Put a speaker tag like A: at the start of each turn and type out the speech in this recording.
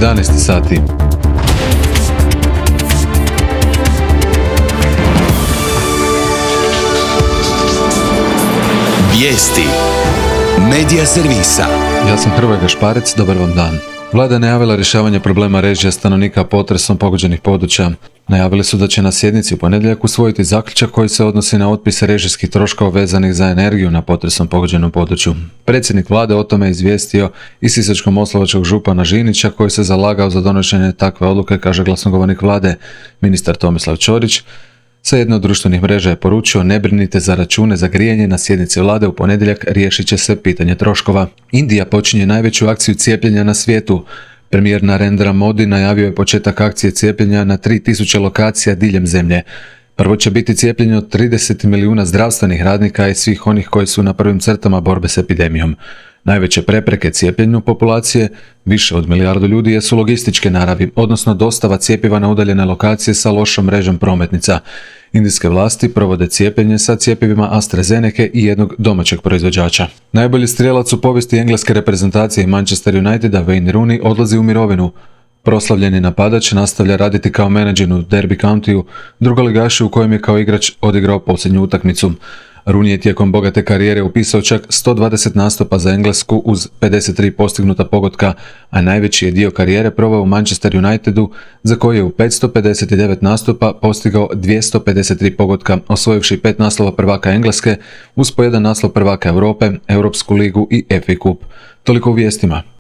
A: 11 sati.
B: Vijesti Medija servisa.
A: Ja sam Hrvoje Gašparec, dobar vam dan. Vlada je najavila rješavanje problema režija stanovnika potresom pogođenih područja. Najavili su da će na sjednici u ponedjeljak usvojiti zaključak koji se odnosi na otpis režijskih troškova vezanih za energiju na potresom pogođenom području. Predsjednik vlade o tome je izvijestio i sisačko-moslavačkog župana Žinića koji se zalagao za donošenje takve odluke, kaže glasnogovornik vlade, ministar Tomislav Ćorić. Sa jedne od društvenih mreža je poručio: ne brinite za račune za grijanje, na sjednici vlade u ponedjeljak riješit će se pitanje troškova. Indija počinje najveću akciju cijepljenja na svijetu. Premijer Narendra Modi najavio je početak akcije cijepljenja na 3000 lokacija diljem zemlje. Prvo će biti cijepljenje od 30 milijuna zdravstvenih radnika i svih onih koji su na prvim crtama borbe s epidemijom. Najveće prepreke cijepljenju populacije, više od milijardu ljudi, jesu logističke naravi, odnosno dostava cjepiva na udaljene lokacije sa lošom mrežom prometnica. Indijske vlasti provode cijepljenje sa cjepivima AstraZeneca i jednog domaćeg proizvođača. Najbolji strijelac u povijesti engleske reprezentacije Manchester Uniteda, Wayne Rooney, odlazi u mirovinu. Proslavljeni napadač nastavlja raditi kao menadžer u Derby Countyu, drugoligašu u kojem je kao igrač odigrao posljednju utakmicu. Rooney je tijekom bogate karijere upisao čak 120 nastupa za Englesku uz 53 postignuta pogotka, a najveći je dio karijere proveo u Manchester Unitedu, za koji je u 559 nastupa postigao 253 pogotka, osvojivši 5 naslova prvaka Engleske, uz po jedan naslov prvaka Europe, Europsku ligu i FA Cup. Toliko u vijestima.